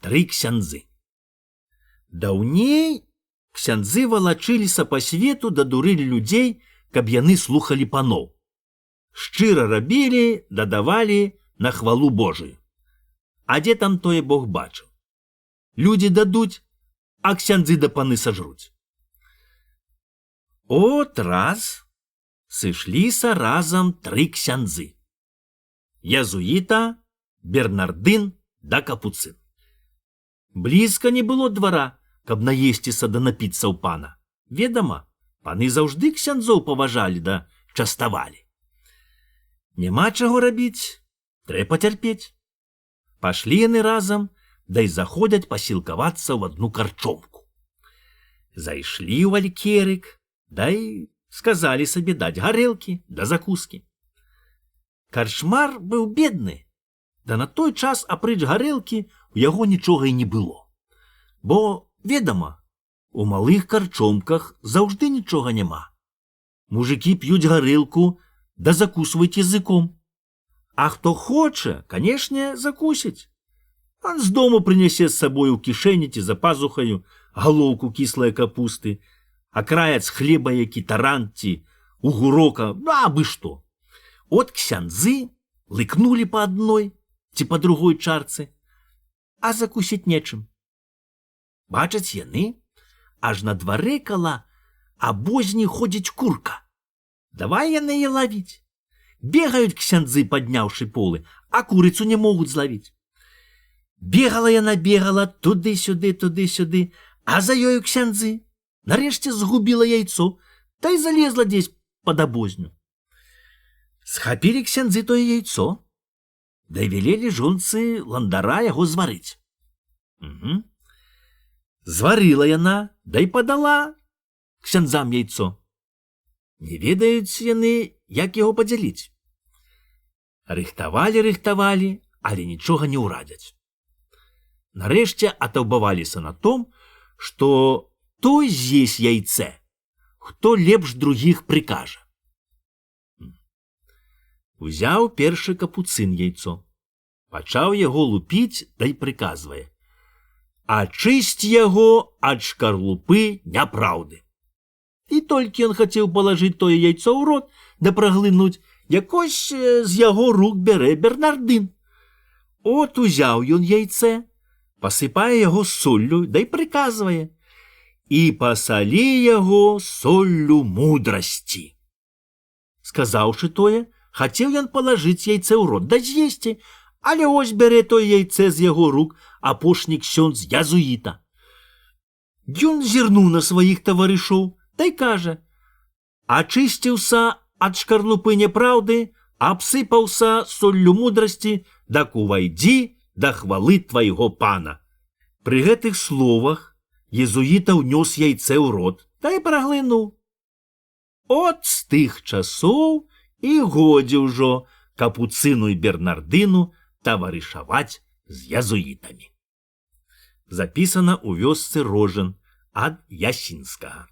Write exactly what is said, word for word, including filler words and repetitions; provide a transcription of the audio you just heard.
тры ксяндзы. Даўней ксяндзы валачыліся па свету да дурылі людзей, каб яны слухалі паноў. Шчыра рабілі, дадавалі на хвалу Божую. А дзе там тое Бог бачыў? Людзі дадуць, а ксяндзы да паны сажруць. От раз сышліся разам тры ксяндзы. Язуіта, Бернардын да капуцын. Блізка не было двара, каб наесціся да напіцца ў пана. Ведама, паны заўжды ксяндзоў паважалі да частавалі. Няма чаго рабіць, трэ пацярпець. Пашлі яны разам, да й заходзяць пасілкавацца ў адну карчомку. Зайшлі ў алькерык, да й сказалі сабе даць гарэлкі да закускі. Карчмар быў бедны, да на той час апрэч гарэлкі у яго нічога і не было. Бо, ведама, у малых карчомках заўжды нічога няма. Мужыкі п'юць гарэлку, да закусваюць языком. А хто хоча, канешне, закусіць. Он з дому прынясе з сабою ў кішэні ці за пазухаю галоўку кіслай капусты, акраец хлеба які таран ці угурока, абы што. От ксяндзы лыкнулі па адной ці па другой чарцы, а закусіць нечым. Бачаць яны, аж на дварэ кала абозні ходзіць курка. Давай яны яе лавіць. Бегаюць ксяндзы, падняўшы полы, а курыцу не могуць злавіць. Бегала яна, бегала туды-сюды, туды-сюды, а за ёю ксяндзы. Нарэшце згубіла яйцо, та й залезла дзесь пад абозню. Схапілі ксяндзы тое яйцо, да й велелі жонцы ландара яго зварыць. Угу. Зварыла яна, да й падала ксяндзам яйцо. Не ведаюць яны, як яго падзяліць. Рыхтавалі, рыхтавалі, але нічога не ўрадзяць. Нарэшце атаўбаваліся на том, што той з'есть яйцэ, хто лепш другіх прыкажа. Узяў першы капуцын яйцо, пачаў яго лупіць, да й прыказвае: ачысць яго ад шкарлупы няпраўды. І толькі ён хацеў палажыць тое яйцо ў рот да праглынуць, якось з яго рук бярэ Бернардын. От узяў ён яйцэ, пасыпае яго соллю, да й прыказвае: і пасалі яго соллю мудрасці. Сказаўшы тое, хацеў ён палажыць яйцэ ў рот да з'есці, але ось бярэ тое яйцэ з яго рук апошні ксёндз язуіта. Ён зірнуў на сваіх таварышоў, да й кажа: ачысціўся ад шкарлупы няпраўды, абсыпаўся соллю мудрасці, дак увайдзі да хвалы твайго пана. Пры гэтых словах езуіта ўнёс яйцэ ў рот, да й праглынуў. От з тых часоў і годзе ўжо капуцыну і Бернардыну таварышаваць з язуітамі. Запісана ў вёсцы Рожын ад Ясінскага.